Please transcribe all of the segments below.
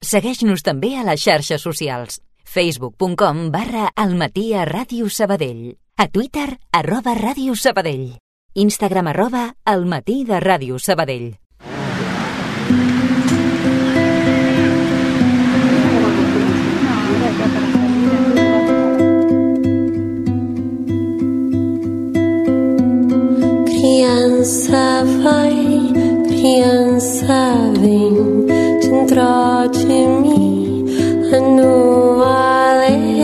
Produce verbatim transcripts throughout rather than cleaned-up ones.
Segueix-nos també a les xarxes socials. facebook punt com barra Almatí a Ràdio Sabadell. A Twitter, arroba Ràdio Sabadell. Instagram, arroba Almatí de Ràdio Sabadell. Criança vai, criança vem, dentro de mim, no além.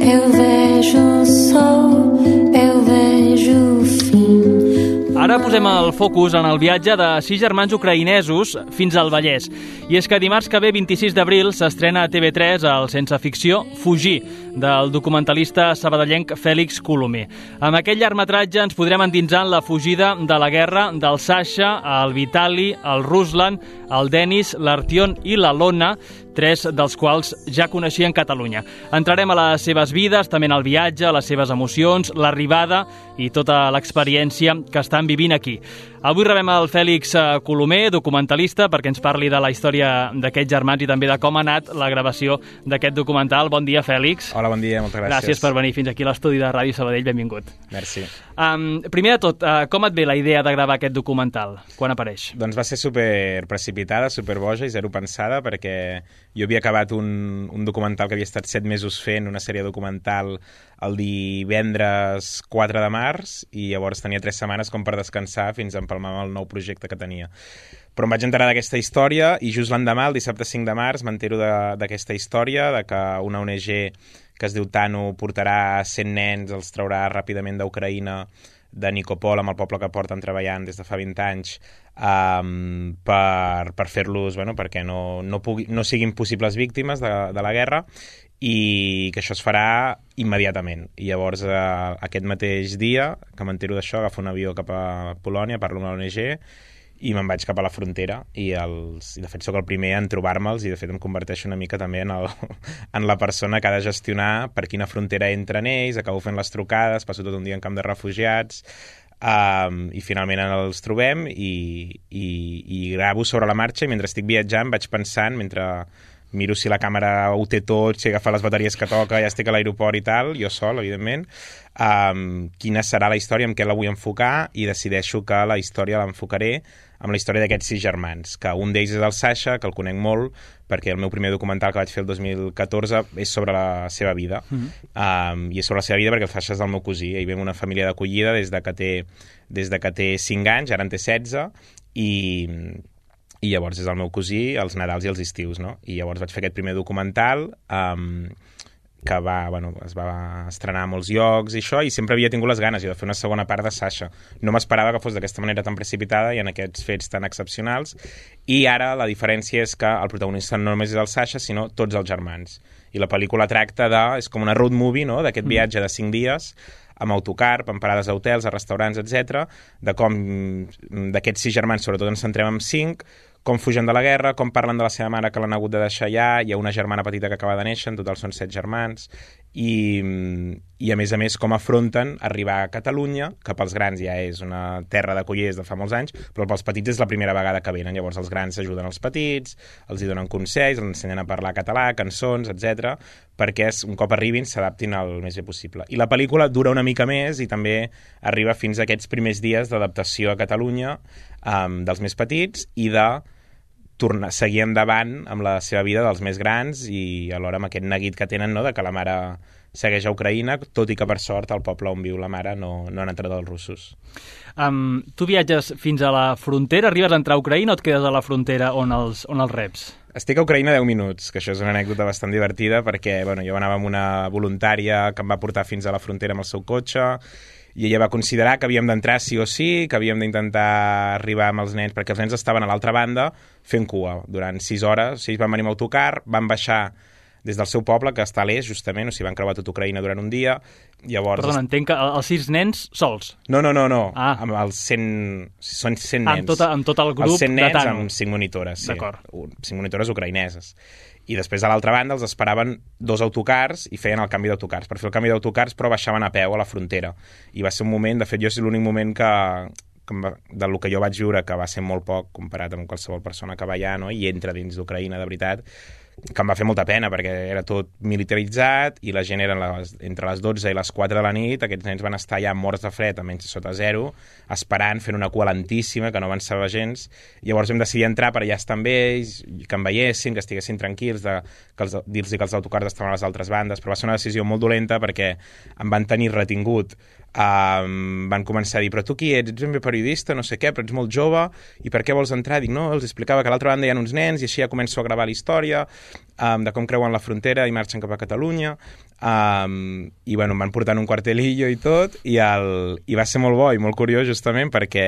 Eu vejo o sol, eu vejo o fim. Ara posem el focus en el viatge de sis germans ucraïnesos fins al Vallès. I és que dimarts que ve, vint-i-sis d'abril, s'estrena a T V tres el Sense Ficció Fugir, del documentalista sabadellenc Fèlix Colomer. Amb aquest llargmetratge ens podrem endinsar en la fugida de la guerra del Sasha, el Vitali, el Ruslan, el Denis, l'Artion i la Lona, tres dels quals ja coneixien Catalunya. Entrarem a les seves vides, també en el viatge, les seves emocions, l'arribada i tota l'experiència que estan vivint aquí. Avui rebem el Fèlix Colomer, documentalista, perquè ens parli de la història d'aquests germans i també de com ha anat la gravació d'aquest documental. Bon dia, Fèlix. Hola, bon dia, moltes gràcies. Gràcies per venir fins aquí a l'estudi de Ràdio Sabadell, benvingut. Merci. Um, primer de tot, uh, com et ve la idea de gravar aquest documental? Quan apareix? Doncs va ser super precipitada, super boja i zero pensada, perquè jo havia acabat un, un documental que havia estat set mesos fent, una sèrie documental el divendres quatre de març, i llavors tenia tres setmanes com per descansar fins a empalmar amb el nou projecte que tenia. Però em vaig enterar d'aquesta història i just l'endemà, el dissabte cinc de març, m'entero d'aquesta història, de que una O N G que es diu Tano portarà cent nens, els traurà ràpidament d'Ucraïna, de Nikopol, amb el poble que porten treballant des de fa vint anys, um, per, per fer-los, bueno, perquè no, no, pugui, no siguin possibles víctimes de, de la guerra, i que això es farà immediatament. I llavors, eh, aquest mateix dia que m'entero d'això, agafo un avió cap a Polònia, parlo amb la O N G i me'n vaig cap a la frontera, i, els, i de fet sóc el primer en trobar-me'ls, i de fet em converteixo una mica també en, el, en la persona que ha de gestionar per quina frontera entren ells, acabo fent les trucades, passo tot un dia en camp de refugiats, um, i finalment els trobem i, i, i gravo sobre la marxa, i mentre estic viatjant vaig pensant, mentre miro si la càmera ho té tot, si agafa les bateries que toca, ja estic a l'aeroport i tal, jo sol, evidentment, um, quina serà la història, amb què la vull enfocar, i decideixo que la història l'enfocaré amb la història d'aquests sis germans, que un d'ells és el Sasha, que el conec molt, perquè el meu primer documental que vaig fer el dos mil catorze és sobre la seva vida, mm-hmm. um, i és sobre la seva vida perquè el Sasha és el meu cosí, ell ve una família d'acollida des de que té, des de que té cinc anys, ara en té setze, i... i llavors és el meu cosí, els Nadals i els estius, no? I llavors vaig fer aquest primer documental, um, que va, bueno, es va estrenar a molts llocs i això, i sempre havia tingut les ganes de fer una segona part de Sasha. No m'esperava que fos d'aquesta manera tan precipitada i en aquests fets tan excepcionals, i ara la diferència és que el protagonista no només és el Sasha, sinó tots els germans. I la pel·lícula tracta de... és com una road movie, no?, d'aquest viatge de cinc dies, amb autocar, amb parades a hotels, a restaurants, etcètera, de com d'aquests sis germans, sobretot ens centrem en cinc, com fugen de la guerra, com parlen de la seva mare que l'han hagut de deixar allà, hi ha una germana petita que acaba de néixer, en total són set germans, i, i a més a més com afronten arribar a Catalunya, que pels grans ja és una terra d'acollers de fa molts anys, però pels petits és la primera vegada que venen, llavors els grans ajuden els petits, els hi donen consells, els ensenyen a parlar català, cançons, etcètera, perquè un cop arribin s'adaptin el més bé possible. I la pel·lícula dura una mica més i també arriba fins a aquests primers dies d'adaptació a Catalunya, um, dels més petits, i de tornar, seguir endavant amb la seva vida dels més grans, i alhora amb aquest neguit que tenen, no?, de que la mare segueix a Ucraïna, tot i que per sort al poble on viu la mare no, no han entrat els russos. Um, tu viatges fins a la frontera, arribes a entrar a Ucraïna o et quedes a la frontera on els, on els reps? Estic a Ucraïna deu minuts, que això és una anècdota bastant divertida, perquè bueno, jo anava amb una voluntària que em va portar fins a la frontera amb el seu cotxe, i ella va considerar que havíem d'entrar sí o sí, que havíem d'intentar arribar amb els nens, perquè els nens estaven a l'altra banda fent cua durant sis hores. O sigui, van venir amb autocar, van baixar des del seu poble, que està a l'est, justament, o sigui, van creuar tot Ucraïna durant un dia. Llavors... Perdona, entenc que els sis nens sols? No, no, no, no. Ah. Amb els cent... Són cent ah, nens. Amb tot, amb tot el grup els cent nens de Tano. amb cinc monitores, sí. D'acord. Cinc monitores ucraïneses. I després, a l'altra banda, els esperaven dos autocars i feien el canvi d'autocars. Per fer el canvi d'autocars, però baixaven a peu a la frontera. I va ser un moment, de fet, jo és l'únic moment que, que va, del que jo vaig viure, que va ser molt poc comparat amb qualsevol persona que va allà, no? I entra dins d'Ucraïna de veritat, que em va fer molta pena perquè era tot militaritzat i la gent eren les, entre les dotze i les quatre de la nit, aquests nens van estar ja morts de fred a menys sota zero, esperant, fent una cua lentíssima que no avançava gens. Llavors vam decidir entrar per allà estar amb ells, que em veiessin, que estiguessin tranquils, de, que els, dir-los que els autocars estaven a les altres bandes, però va ser una decisió molt dolenta perquè em van tenir retingut. Um, van començar a dir, però tu qui ets? Ets un periodista, no sé què, però ets molt jove, i per què vols entrar? Dic, no, els explicava que a l'altra banda hi ha uns nens i així ja començo a gravar la història um, de com creuen la frontera i marxen cap a Catalunya, um, i bueno, em van portar en un quartelillo i tot, i, el, i va ser molt bo i molt curiós justament perquè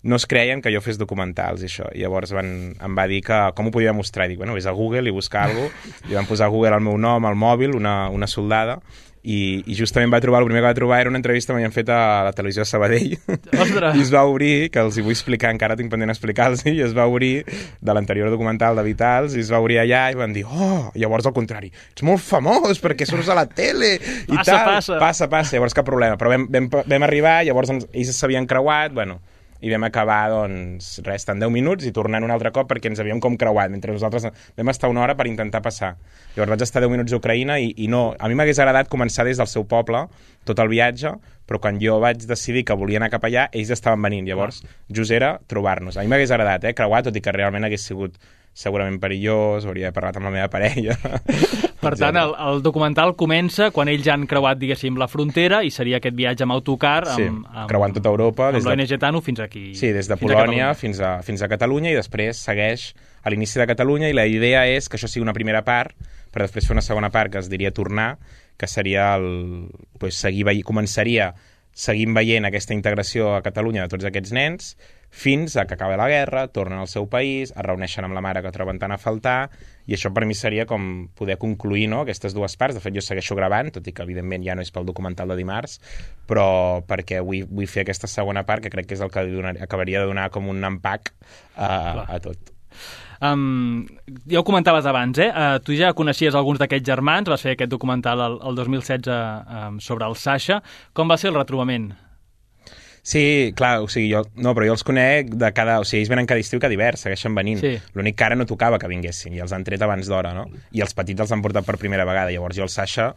no es creien que jo fes documentals i això, i llavors van, em va dir que com ho podia mostrar, i dic, bueno, vés a Google i buscar alguna cosa, i van posar a Google el meu nom al mòbil, una, una soldada, I, i justament va trobar, el primer que va trobar era una entrevista que m'havien fet a la televisió de Sabadell. Ostres! I es va obrir, que els hi vull explicar, encara tinc pendent explicar-los, i es va obrir de l'anterior documental de Vitals, i es va obrir allà i van dir, oh, llavors al contrari, ets molt famós perquè surts a la tele i passa, tal. Passa, passa. Passa, llavors cap problema. Però vam, vam, vam arribar, llavors ens, ells s'havien creuat, bueno, i vam acabar, doncs, res, en deu minuts i tornant un altre cop perquè ens havíem com creuat, mentre nosaltres vam estar una hora per intentar passar. Llavors vaig estar deu minuts a Ucraïna i, i no, a mi m'hagués agradat començar des del seu poble tot el viatge, però quan jo vaig decidir que volia anar cap allà, ells estaven venint, llavors just era trobar-nos. A mi m'hagués agradat, eh, creuar, tot i que realment hagués sigut segurament perillós, hauria parlat amb la meva parella. Per tant, el, el documental comença quan ells han creuat, diguéssim, la frontera i seria aquest viatge amb autocar amb, sí, amb, creuant tota Europa. Amb l'O N G de... Tano fins aquí. Sí, des de fins Polònia a fins a, fins a Catalunya i després segueix a l'inici de Catalunya i la idea és que això sigui una primera part per després fer una segona part que es diria tornar, que seria el... Pues, seguir veient, començaria seguint veient aquesta integració a Catalunya de tots aquests nens fins a que acaba la guerra, tornen al seu país, es reuneixen amb la mare que troben tant a faltar, i això per mi seria com poder concluir, no?, aquestes dues parts. De fet, jo segueixo gravant, tot i que evidentment ja no és pel documental de dimarts, però perquè vull, vull fer aquesta segona part, que crec que és el que donar, acabaria de donar com un empac a, a tot. Um, ja ho comentaves abans, eh? Uh, tu ja coneixies alguns d'aquests germans, vas fer aquest documental el, el dos mil setze um, sobre el Sasha. Com va ser el retrobament? Sí, clar, o sigui, jo, no, però jo els conec de cada... O sigui, ells venen cada estiu i cada hivern, segueixen venint. Sí. L'únic que ara no tocava que vinguessin, i els han tret abans d'hora, no? I els petits els han portat per primera vegada. Llavors jo el Sasha...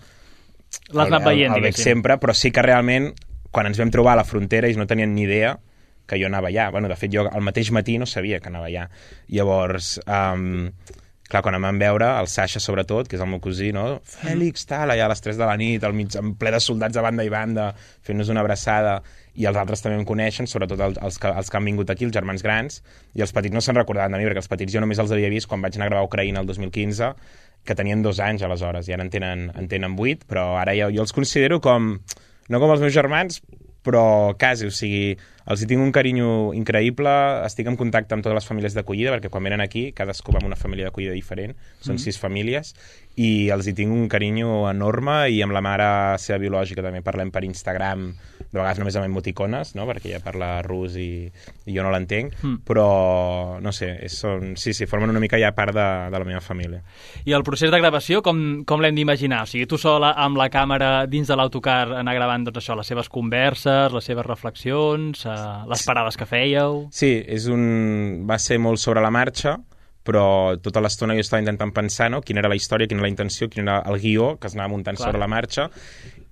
L'has anat veient, el, el veig sempre, però sí que realment, quan ens vam trobar a la frontera, ells no tenien ni idea que jo anava allà. Bueno, de fet, jo al mateix matí no sabia que anava allà. Llavors... Um, clar, quan em van veure, el Sasha sobretot, que és el meu cosí, no? Fèlix, tal, allà a les tres de la nit, al mig, en ple de soldats de banda i banda, fent-nos una abraçada, i els altres també em coneixen, sobretot els, els, que, els que han vingut aquí, els germans grans, i els petits no se'n recordaven de mi, perquè els petits jo només els havia vist quan vaig anar a gravar a Ucraïna el dos mil quinze, que tenien dos anys aleshores, i ara en tenen, en tenen vuit, però ara jo, jo els considero com, no com els meus germans, però quasi, o sigui, els hi tinc un carinyo increïble, estic en contacte amb totes les famílies d'acollida, perquè quan venen aquí, cadascú va amb una família d'acollida diferent, són mm. sis famílies, i els hi tinc un carinyo enorme, i amb la mare seva biològica també parlem per Instagram, de vegades només amb emoticones, no?, perquè ella parla rus i, i jo no l'entenc, mm. però, no sé, és, són, sí, sí, formen una mica ja part de, de la meva família. I el procés de gravació, com, com l'hem d'imaginar? O sigui, tu sola amb la càmera dins de l'autocar anar gravant, doncs això, les seves converses, les seves reflexions, eh, les parades que fèieu... Sí, és un... va ser molt sobre la marxa, però tota l'estona jo estava intentant pensar, no?, quina era la història, quina era la intenció, quin era el guió que es anava muntant clar. Sobre la marxa,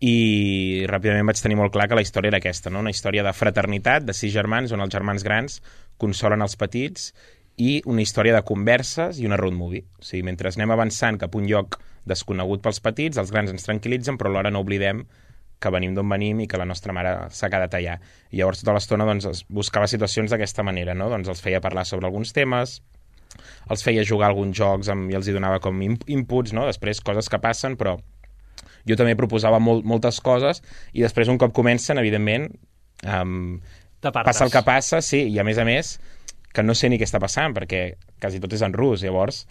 i ràpidament vaig tenir molt clar que la història era aquesta, no?, una història de fraternitat, de sis germans, on els germans grans consolen els petits, i una història de converses i una road movie. O sigui, mentre anem avançant cap a un lloc desconegut pels petits, els grans ens tranquil·litzen, però alhora no oblidem que venim d'on venim i que la nostra mare s'ha quedat allà. I llavors tota l'estona doncs, buscava situacions d'aquesta manera, no? Doncs els feia parlar sobre alguns temes, els feia jugar alguns jocs amb, i els hi donava com inputs, no? Després coses que passen, però jo també proposava molt, moltes coses, i després un cop comencen, evidentment, um, passa el que passa, sí, i a més a més que no sé ni què està passant, perquè quasi tot és en rus, llavors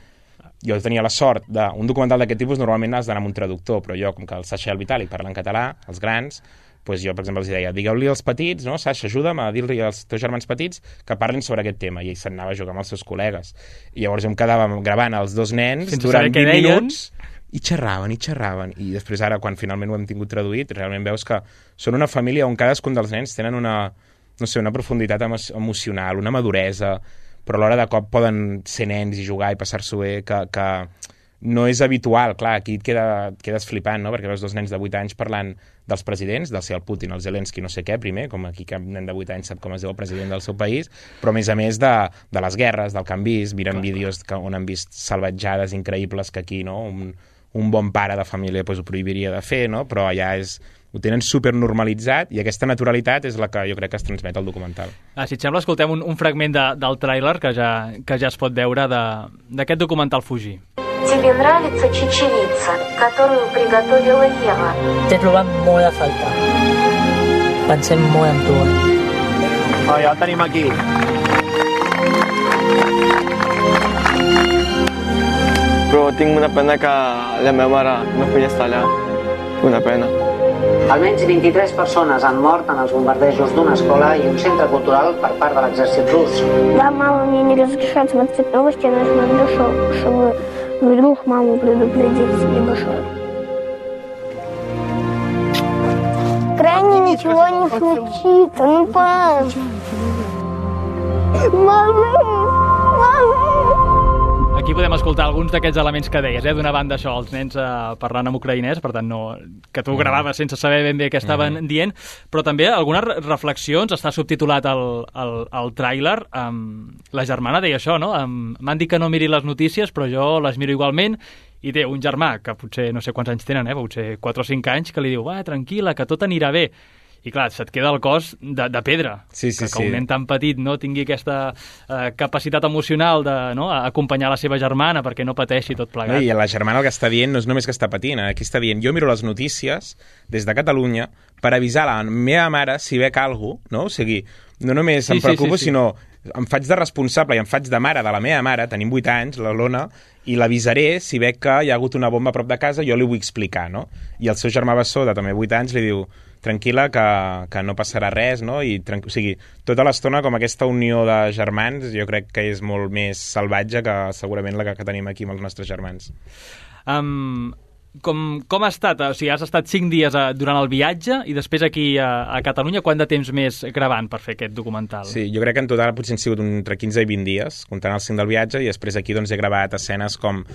jo tenia la sort d'un documental d'aquest tipus, normalment has d'anar amb un traductor, però jo, com que el Sasha i el Vitali parlen català, els grans, doncs jo, per exemple, els deia, digueu-li als petits, no, Sasha, ajuda'm a dir-li als teus germans petits que parlin sobre aquest tema, i ell se'n anava a jugar amb els seus col·legues. I llavors jo em quedava gravant els dos nens sense durant vint minuts, i xerraven, i xerraven, i després ara, quan finalment ho hem tingut traduït, realment veus que són una família on cadascun dels nens tenen una... no sé, una profunditat emo emocional, una maduresa, però alhora de cop poden ser nens i jugar i passar-s'ho bé, que, que no és habitual. Clar, aquí et, queda, et quedes flipant, no? Perquè veus dos nens de vuit anys parlant dels presidents, del ser el Putin, el Zelensky, no sé què, primer, com aquí cap nen de vuit anys sap com es diu el president del seu país, però a més a més de, de les guerres, del que han vist, miren vídeos que, on han vist salvatjades increïbles que aquí, no? Un, un bon pare de família pues, ho prohibiria de fer, no? Però allà és... ho tenen supernormalitzat i aquesta naturalitat és la que jo crec que es transmet al documental. Ah, si et sembla, escoltem un, un fragment de, del tràiler que ja, que ja es pot veure d'aquest documental Fugir. Тебе нравится чечевица, которую приготовила Ева? T'he trobat molt a faltar. Pensem molt en tu. Oh, ja el tenim aquí. Però tinc una pena que la meva mare no podia estar allà. Una pena. Almenys vint-i-tres persones han mort en els bombardejos d'una escola i un centre cultural per part de l'exèrcit rus. Да, мама мне не разрешает смотреть новости, я смотрю, чтобы вдруг маму предупредить либо что. Крайне ничего не случится, ну пап. Мама, мама. Aquí podem escoltar alguns d'aquests elements que deies, eh? D'una banda això, els nens eh, parlant en ucraïnès, per tant, no, que tu gravaves sense saber ben bé què estaven mm. dient, però també algunes reflexions, està subtitulat el, el, el tràiler, um, la germana deia això, no? Um, m'han dit que no miri les notícies, però jo les miro igualment, i té un germà, que potser no sé quants anys tenen, eh? Potser quatre o cinc anys, que li diu, va, tranquil·la, que tot anirà bé. I clar, se't queda el cos de, de pedra. Sí, sí, que, que sí. un nen tan petit no tingui aquesta eh, capacitat emocional de no, acompanyar la seva germana perquè no pateixi tot plegat. I la germana el que està dient no és només que està patint, aquí està dient, jo miro les notícies des de Catalunya per avisar la meva mare si veig alguna cosa, no? O sigui, no només sí, em preocupo, sí, sí, sí. sinó em faig de responsable i em faig de mare de la meva mare, tenim vuit anys, la Lona, i l'avisaré si veig que hi ha hagut una bomba a prop de casa, jo li vull explicar, no? I el seu germà bessó, de també vuit anys, li diu tranquil·la, que, que no passarà res, no? I, o sigui, tota l'estona com aquesta unió de germans jo crec que és molt més salvatge que segurament la que, que tenim aquí amb els nostres germans. Um, com, com ha estat? O sigui, has estat cinc dies a, durant el viatge i després aquí a, a Catalunya, quant de temps més gravant per fer aquest documental? Sí, jo crec que en total potser han sigut entre quinze i vint dies, comptant els cinc del viatge, i després aquí doncs, he gravat escenes com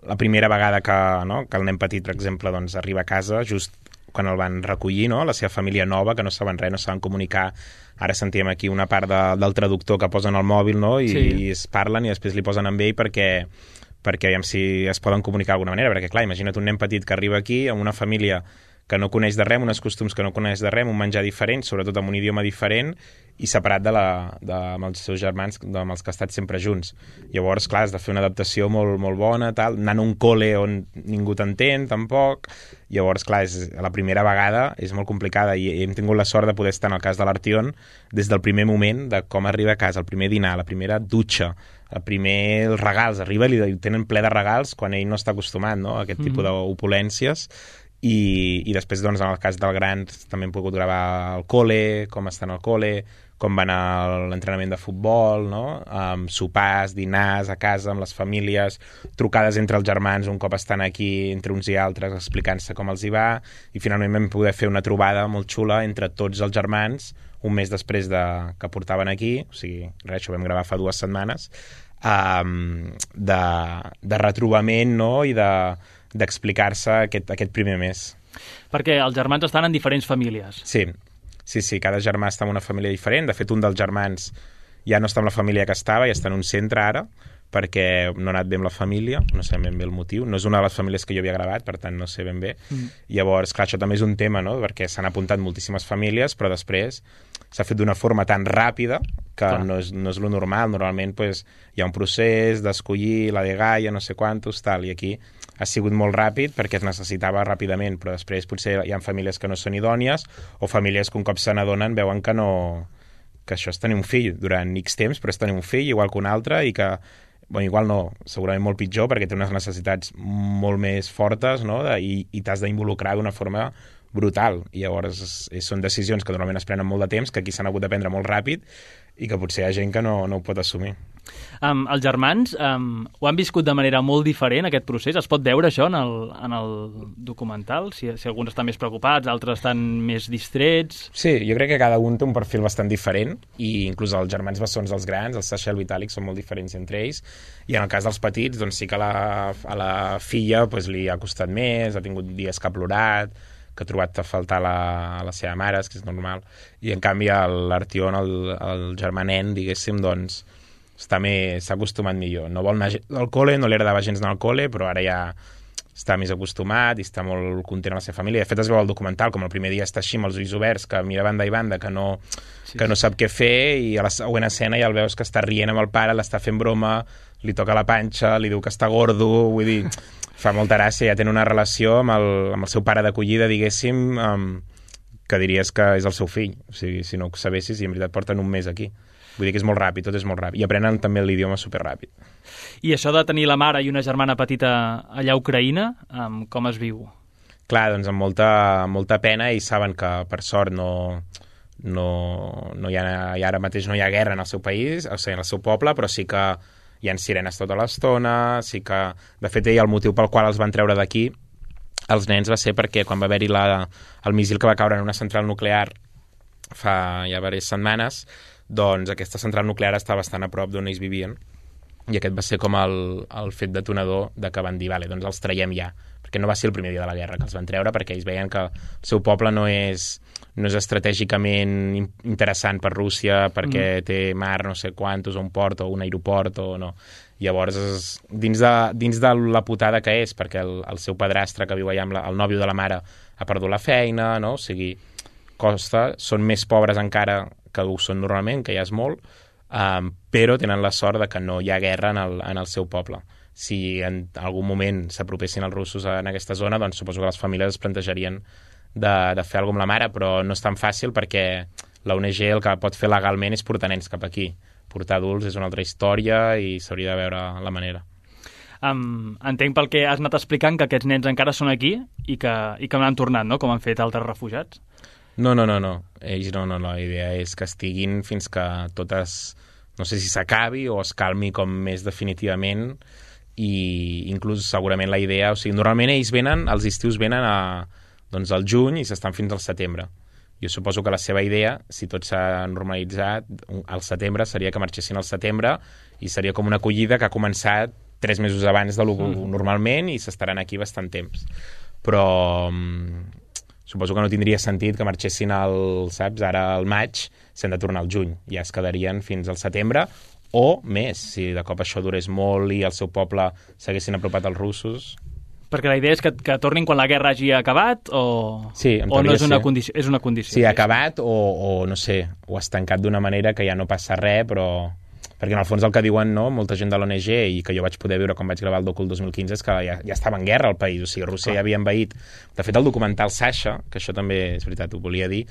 la primera vegada que, no, que el nen petit, per exemple, doncs, arriba a casa, just quan el van recollir, no? La seva família nova, que no saben res, no saben comunicar. Ara sentíem aquí una part de, del traductor que posen al mòbil, no? I, sí. i es parlen i després li posen amb ell perquè, perquè aviam si es poden comunicar d'alguna manera, perquè clar, imagina't un nen petit que arriba aquí amb una família que no coneix de res, uns costums que no coneix de res, un menjar diferent, sobretot amb un idioma diferent, i separat de la, de, amb els seus germans, de, amb els que ha estat sempre junts. Llavors, clar, has de fer una adaptació molt, molt bona, tal, anant a un col·le on ningú t'entén, tampoc. Llavors, clar, és, la primera vegada és molt complicada, i hem tingut la sort de poder estar en el cas de l'Artion des del primer moment, de com arriba a casa, el primer dinar, la primera dutxa, el primer els regals, arriba i li tenen ple de regals quan ell no està acostumat, no?, a aquest tipus mm. d'opulències. I, i després, doncs, en el cas del gran també hem pogut gravar al col·le, com estan al col·le, com van a l'entrenament de futbol, no? Um, sopars, dinars a casa amb les famílies, trucades entre els germans un cop estan aquí entre uns i altres explicant-se com els hi va, i finalment vam poder fer una trobada molt xula entre tots els germans un mes després de, que portaven aquí, o sigui, res, això vam gravar fa dues setmanes, um, de, de retrobament, no?, i de d'explicar-se aquest, aquest primer mes. Perquè els germans estan en diferents famílies. Sí, sí, sí, cada germà està en una família diferent. De fet, un dels germans ja no està amb la família que estava, ja està en un centre ara, perquè no ha anat bé amb la família, no sé ben bé el motiu. No és una de les famílies que jo havia gravat, per tant no sé ben bé. Mm. Llavors, clar, això també és un tema, no?, perquè s'han apuntat moltíssimes famílies, però després s'ha fet d'una forma tan ràpida que no és, no és lo normal. Normalment pues, hi ha un procés d'escollir la dgaia, no sé quantos, tal, i aquí ha sigut molt ràpid perquè es necessitava ràpidament, però després potser hi ha famílies que no són idònies o famílies que un cop se n'adonen veuen que no, que això és tenir un fill durant X temps, però és tenir un fill igual que un altre i que, bueno, igual no, segurament molt pitjor perquè té unes necessitats molt més fortes, no?, de, i, i t'has d'involucrar d'una forma brutal, i llavors és, és, són decisions que normalment es prenen molt de temps, que aquí s'han hagut de prendre molt ràpid i que potser hi ha gent que no, no ho pot assumir. Um, els germans um, ho han viscut de manera molt diferent, aquest procés? Es pot veure això en el, en el documental? Si, si alguns estan més preocupats, altres estan més distrets... Sí, jo crec que cada un té un perfil bastant diferent i inclús els germans bessons dels grans, el Sasha i el Vitalik, són molt diferents entre ells, i en el cas dels petits, doncs sí que a la, a la filla pues, li ha costat més, ha tingut dies que ha plorat, que ha trobat a faltar la, a la seva mare, que és normal, i en canvi l'Artion, el, el germà nen, diguéssim, doncs està més, s'ha acostumat millor. No vol anar al col·le, no li agradava gens anar al col·le, però ara ja està més acostumat i està molt content amb la seva família. De fet, es veu al documental, com el primer dia està així amb els ulls oberts, que mira banda i banda, que no, sí, que no sap què fer, i a la següent escena ja el veus que està rient amb el pare, l'està fent broma, li toca la panxa, li diu que està gordo, vull dir, fa molta gràcia, ja tenen una relació amb el, amb el seu pare d'acollida, diguéssim, um, que diries que és el seu fill. O sigui, si no ho sabessis, i en veritat porten un mes aquí. Vull dir que és molt ràpid, tot és molt ràpid. I aprenen també l'idioma superràpid. I això de tenir la mare i una germana petita allà a Ucraïna, um, com es viu? Clar, doncs amb molta, molta pena, i saben que, per sort, no, no, no hi ha, i ara mateix no hi ha guerra en el seu país, o sigui, en el seu poble, però sí que hi ha sirenes tota l'estona, sí que... De fet, ell, el motiu pel qual els van treure d'aquí, els nens, va ser perquè quan va haver-hi la, el míssil que va caure en una central nuclear fa ja diverses setmanes, doncs aquesta central nuclear està bastant a prop d'on ells vivien, i aquest va ser com el, el fet detonador de que van dir, vale, doncs els traiem ja, perquè no va ser el primer dia de la guerra que els van treure, perquè ells veien que el seu poble no és, no és estratègicament interessant per Rússia, perquè mm. té mar no sé quantos, o un port, o un aeroport, o no. Llavors, és, dins, de, dins de la putada que és, perquè el, el seu padrastre que viu allà amb la, el nòvio de la mare ha perdut la feina, no? O sigui, costa, són més pobres encara que ho són normalment, que ja és molt, um, però tenen la sort de que no hi ha guerra en el, en el seu poble. Si en algun moment s'apropessin els russos en aquesta zona, doncs suposo que les famílies es plantejarien de, de fer alguna amb la mare, però no és tan fàcil perquè la O N G el que pot fer legalment és portar nens cap aquí. Portar adults és una altra història i s'hauria de veure la manera. Um, entenc pel que has anat explicant que aquests nens encara són aquí i que, i que no han tornat, no?, com han fet altres refugiats. No, no, no, no. Ells no, no, no. La idea és que estiguin fins que totes, no sé si s'acabi o es calmi com més definitivament, i inclús segurament la idea, o sigui, normalment ells venen, els estius venen a, doncs al juny i s'estan fins al setembre. Jo suposo que la seva idea, si tot s'ha normalitzat, al setembre seria que marxessin al setembre i seria com una acollida que ha començat tres mesos abans de lo mm. normalment i s'estaran aquí bastant temps. Però suposo que no tindria sentit que marxessin al, saps, ara al maig, s'han de tornar al juny. Ja es quedarien fins al setembre o més, si de cop això durés molt i el seu poble s'haguessin apropat als russos. Perquè la idea és que, que tornin quan la guerra hagi acabat o, sí, o no és una, condició, és una condició? Sí, ha acabat o, o, no sé, o ha tancat d'una manera que ja no passa res, però... Perquè en el fons el que diuen, no, molta gent de l'O N G, i que jo vaig poder veure quan vaig gravar el docu el dos mil quinze, és que ja, ja estava en guerra el país, o sigui, Rússia ja havia envaït. De fet, el documental Sasha, que això també és veritat, ho volia dir,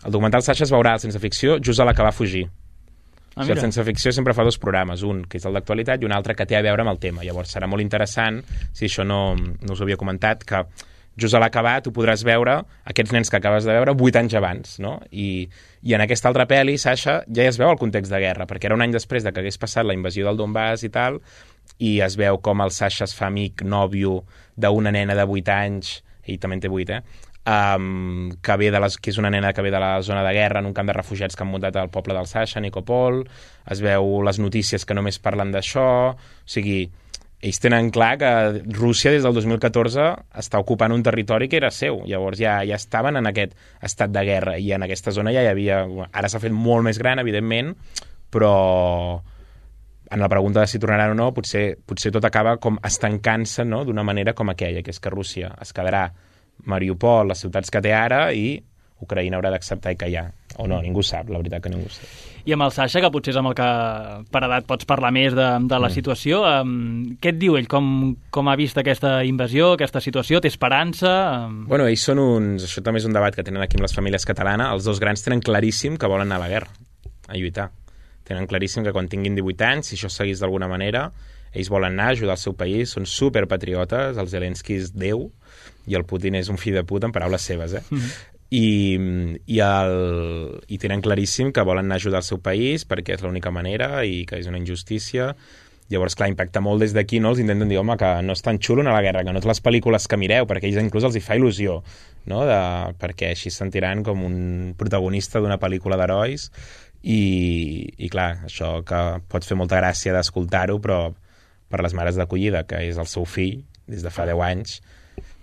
el documental Sasha es veurà al Sense Ficció just a l'acabar a fugir. Ah, o sigui, el Sense Ficció sempre fa dos programes, un que és el d'actualitat i un altre que té a veure amb el tema. Llavors serà molt interessant, si això no, no us ho havia comentat, que just a l'acabar tu podràs veure aquests nens que acabes de veure vuit anys abans, no? I, i en aquesta altra pel·li, Sasha, ja es veu el context de guerra, perquè era un any després de que hagués passat la invasió del Donbass i tal, i es veu com el Sasha es fa amic, nòvio, d'una nena de vuit anys, ell també en té vuit, eh? Um, que, ve de les, que és una nena que ve de la zona de guerra en un camp de refugiats que han muntat al poble del Sasha, Nikopol. Es veu les notícies que només parlen d'això, o sigui... Ells tenen clar que Rússia des del dos mil catorze està ocupant un territori que era seu. Llavors ja, ja estaven en aquest estat de guerra i en aquesta zona ja hi havia... Ara s'ha fet molt més gran, evidentment, però en la pregunta de si tornaran o no, potser, potser tot acaba com estancant-se, no?, d'una manera com aquella, que és que Rússia es quedarà Mariupol, les ciutats que té ara, i Ucraïna haurà d'acceptar i callar. O no, ningú sap, la veritat que ningú sap. I amb el Sasha, que potser és amb el que per edat pots parlar més de, de la mm. situació, um, què et diu ell? Com, com ha vist aquesta invasió, aquesta situació? Té esperança? Um... Bueno, ells són uns... Això també és un debat que tenen aquí amb les famílies catalanes. Els dos grans tenen claríssim que volen anar a la guerra, a lluitar. Tenen claríssim que quan tinguin divuit anys, si això seguís d'alguna manera, ells volen anar a ajudar el seu país, són superpatriotes, el Zelensky és Déu i el Putin és un fill de puta, en paraules seves, eh? Mm-hmm. i, i, el, i tenen claríssim que volen anar a ajudar el seu país perquè és l'única manera i que és una injustícia. Llavors, clar, impacta molt des d'aquí, no? Els intenten dir, home, que no és tan xulo anar a la guerra, que no és les pel·lícules que mireu, perquè ells inclús els hi fa il·lusió, no? De, perquè així es sentiran com un protagonista d'una pel·lícula d'herois i, i clar, això que pot fer molta gràcia d'escoltar-ho, però per les mares d'acollida, que és el seu fill des de fa deu anys,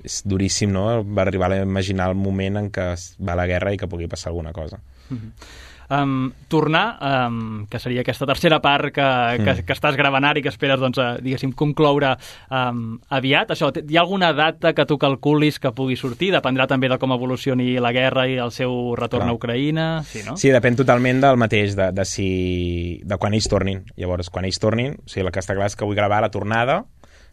és duríssim, no? Va arribar a imaginar el moment en què va a la guerra i que pugui passar alguna cosa. Mm-hmm. Um, tornar, um, que seria aquesta tercera part que, que, mm. que estàs gravant ara i que esperes, doncs, a, diguéssim, concloure um, aviat. Això, hi ha alguna data que tu calculis que pugui sortir? Dependrà també de com evolucioni la guerra i el seu retorn Clar. a Ucraïna? Sí, no? Sí, depèn totalment del mateix, de, de, si, de quan ells tornin. Llavors, quan ells tornin, o sigui, el que està clar és que vull gravar la tornada,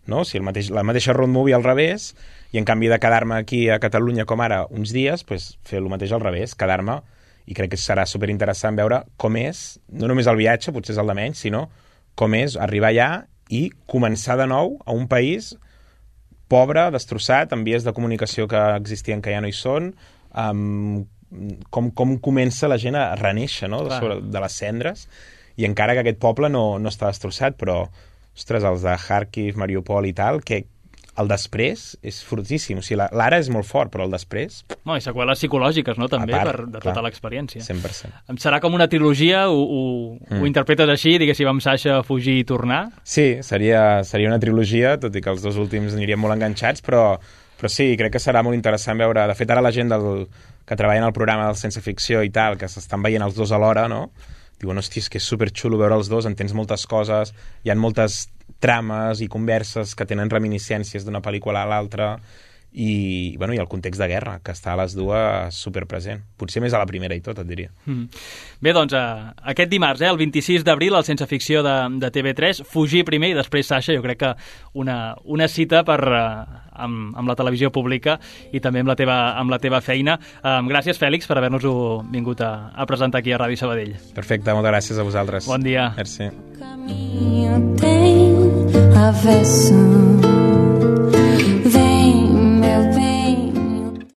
no? O sigui, el mateix, la mateixa road movie al revés, i en canvi de quedar-me aquí a Catalunya com ara uns dies, pues, fer el mateix al revés, quedar-me. I crec que serà superinteressant veure com és, no només el viatge, potser és el de menys, sinó com és arribar allà i començar de nou a un país pobre, destrossat, amb vies de comunicació que existien que ja no hi són, um, com, com comença la gent a renéixer, no? de, sobre, de les cendres, i encara que aquest poble no, no està destrossat, però, ostres, els de Kharkiv, Mariupol i tal, que el després és fortíssim. O sigui, l'ara és molt fort, però el després... No, i seqüeles psicològiques, no?, també, part, per, de clar, tota l'experiència. cent per cent. Serà com una trilogia? Ho, ho, mm. ho interpretes així, diguéssim, amb Sasha, fugir i tornar? Sí, seria, seria una trilogia, tot i que els dos últims anirien molt enganxats, però, però sí, crec que serà molt interessant veure... De fet, ara la gent del, que treballa en el programa del Sense Ficció i tal, que s'estan veient els dos alhora, no?, diuen, hòstia, és que és superxulo veure els dos, entens moltes coses, hi ha moltes trames i converses que tenen reminiscències d'una pel·lícula a l'altra i, bueno, i el context de guerra, que està a les dues superpresent. Potser més a la primera i tot, et diria. Mm. Bé, doncs, uh, aquest dimarts, eh, el vint-i-sis d'abril, el Sense Ficció de, de T V tres, Fugir primer i després Sasha, jo crec que una, una cita per, uh, amb, amb la televisió pública i també amb la teva, amb la teva feina. Um, gràcies, Fèlix, per haver-nos-ho vingut a, a presentar aquí a Ràdio Sabadell. Perfecte, moltes gràcies a vosaltres. Bon dia. Merci. Avec son